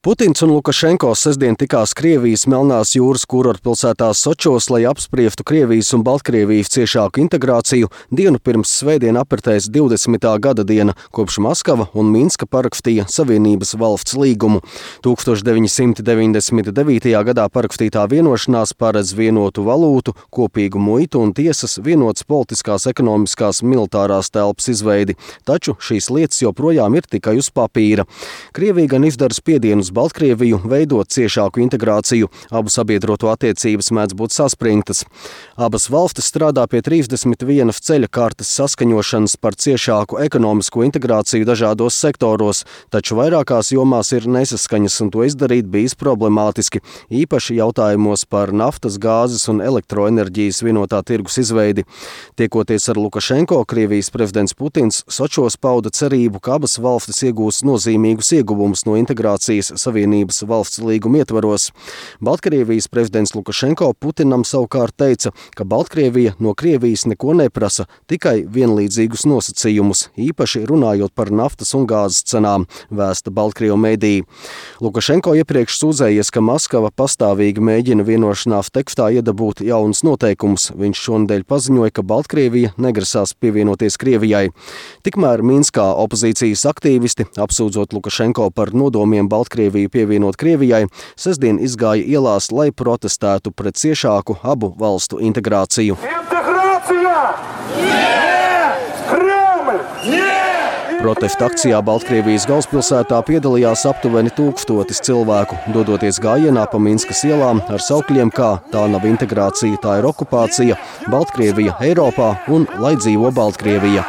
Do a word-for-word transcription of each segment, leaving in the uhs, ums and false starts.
Putins un Lukašenko sestdien tikās Krievijas Melnās jūras kurortpilsētā Sočos, lai apspriestu Krievijas un Baltkrievijas ciešāku integrāciju dienu pirms svētdien apritēs divdesmitā gada diena, kopš Maskava un Minska parakstīja Savienības valsts līgumu. tūkstoš deviņi simti deviņdesmit devītajā gadā parakstītā vienošanās paredz vienotu valūtu, kopīgu muitu un tiesas, vienotas politiskās, ekonomiskās, militārās telpas izveidi. Taču šīs lietas joprojām ir tikai uz papīra. Krievija gan izdara spiedienus Baltkrieviju veidot ciešāku integrāciju. Abu sabiedroto attiecības mēdz būt saspringtas. Abas valstis strādā pie trīsdesmit vienas ceļa kartes saskaņošanas par ciešāku ekonomisko integrāciju dažādos sektoros, taču vairākās jomās ir nesaskaņas un to izdarīt bijis problemātiski, īpaši jautājumos par naftas, gāzes un elektroenerģijas vienotā tirgus izveidi. Tiekoties ar Lukašenko, Krievijas prezidents Putins Sočos pauda cerību, ka abas valstis iegūs nozīmīgus ieguvumus no integrācijas Savienības valsts līguma ietvaros. Baltkrievijas prezidents Lukašenko Putinam savukārt teica, ka Baltkrievija no Krievijas neko neprasa, tikai vienlīdzīgus nosacījumus, īpaši runājot par naftas un gāzes cenām, vēsta Baltkrievu mediji. Lukašenko iepriekš sūdzējies, ka Maskava pastāvīgi mēģina vienošanās tekstā iedabūt jaunus noteikumus. Viņš šonedēļ paziņoja, ka Baltkrievija negrasās pievienoties Krievijai. Tikmēr Minskā opozīcijas aktīvisti, apsūdzot Lukašenko par nodomiem Baltkrieviju pievienot Krievijai, sestdien izgāja ielās, lai protestētu pret ciešāku abu valstu integrāciju. Integrācija! Protesta akcijā Baltkrievijas galvaspilsētā piedalījās aptuveni tūkstotis cilvēku, dodoties gājienā pa Minskas ielām ar saukļiem kā "Tā nav integrācija, tā ir okupācija", "Baltkrievija Eiropā" un "Lai dzīvo Baltkrievija".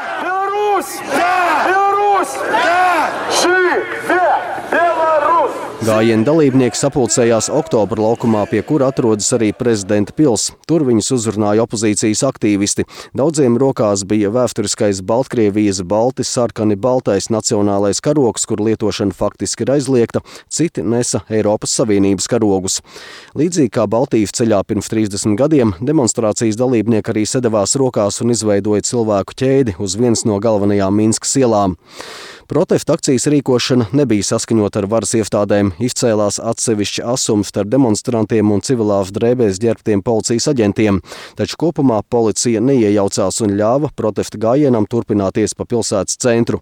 Gājiena dalībnieki sapulcējās Oktobra laukumā, pie kura atrodas arī prezidenta pils. Tur viņus uzrunāja opozīcijas aktīvisti. Daudziem rokās bija vēsturiskais Baltkrievijas balti sarkani baltais nacionālais karogs, kur lietošana faktiski ir aizliegta, citi nesa Eiropas Savienības karogus. Līdzīgi kā Baltijas ceļā pirms trīsdesmit gadiem, demonstrācijas dalībnieki arī sadevās rokās un izveidoja cilvēku ķēdi uz vienas no galvenajām Minskas ielām. Protesta akcijas rīkošana nebija saskaņota ar varas iestādēm, izcēlās atsevišķi asums starp demonstrantiem un civilās drēbēs ģērbtiem policijas aģentiem, taču kopumā policija neiejaucās un ļāva protesta gājienam turpināties pa pilsētas centru.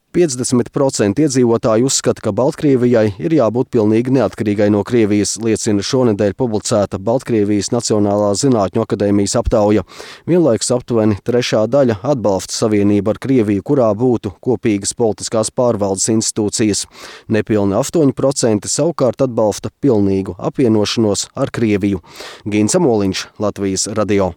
piecdesmit procenti iedzīvotāji uzskata, ka Baltkrievijai ir jābūt pilnīgi neatkarīgai no Krievijas, liecina šonedēļ publicēta Baltkrievijas Nacionālā zinātņu akadēmijas aptauja. Vienlaikus aptuveni trešā daļa atbalsta savienību ar Krieviju, kurā būtu kopīgas politiskās pārvaldes institūcijas. Nepilni astoņi procenti savukārt atbalsta pilnīgu apvienošanos ar Krieviju. Gins Amoliņš, Latvijas radio.